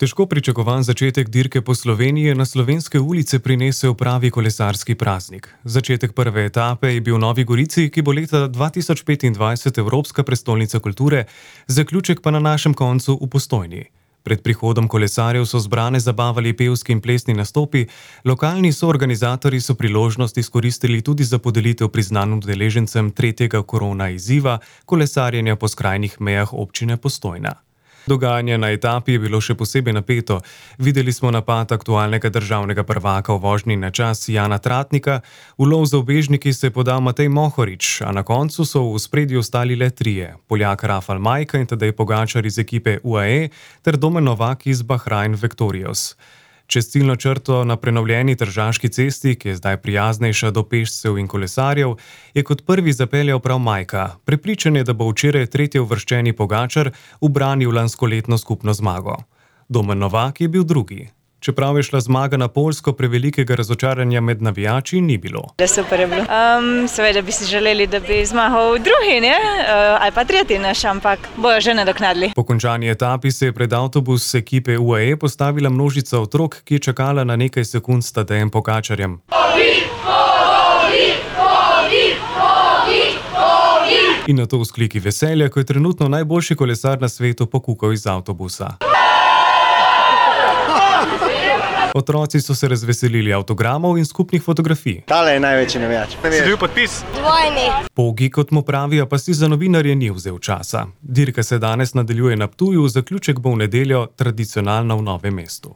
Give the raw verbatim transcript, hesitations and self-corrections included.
Težko pričakovan začetek dirke po Sloveniji je na slovenske ulice prinesel pravi kolesarski praznik. Začetek prve etape je bil v Novi Gorici, ki bo leta dva tisoč petindvajset Evropska prestolnica kulture, zaključek pa na našem koncu v Postojni. Pred prihodom kolesarjev so zbrane zabavali pevski in plesni nastopi, lokalni soorganizatorji so priložnost izkoristili tudi za podelitev priznanj udeležencem tretjega korona izziva kolesarjenja po skrajnih mejah občine Postojna. Dogajanje na etapi je bilo še posebej napeto. Videli smo napad aktualnega državnega prvaka v vožnji na čas Jana Tratnika, v lov za ubežniki se je podal Matej Mohorič, a na koncu so v ospredju ostali le trije, Poljak Rafal Majka in Tadej Pogačar iz ekipe U A E ter Domen Novak iz Bahrain Vectorious. Čez ciljno črto na prenovljeni Tržaški cesti, ki je zdaj prijaznejša do pešcev in kolesarjev, je kot prvi zapeljal prav Majka. Prepričan je, da bo včeraj tretje uvrščeni Pogačar ubranil lanskoletno skupno zmago. Domen Novak je bil drugi. Čeprav je šla zmaga na Poljsko, prevelikega razočaranja med navijači ni bilo. Super je bilo. Um, seveda bi si želeli, da bi zmagal drugi, ne? Uh, ali pa tretji naš, ampak bojo že nadoknadili. Po končani etapi se je pred avtobus ekipe U A E postavila množica otrok, ki je čakala na nekaj sekund s Tadejem Pogačarjem. In na to vzkliki veselja, ko je trenutno najboljši kolesar na svetu pokukal iz avtobusa. Otroci so se razveselili avtogramov in skupnih fotografij. Tale je največji navijač. Si dobil podpis? Dvojni. Pogi, kot mu pravijo, pa si za novinarje ni vzel časa. Dirka se danes nadaljuje na Ptuju, zaključek bo v nedeljo tradicionalno v Novem mestu.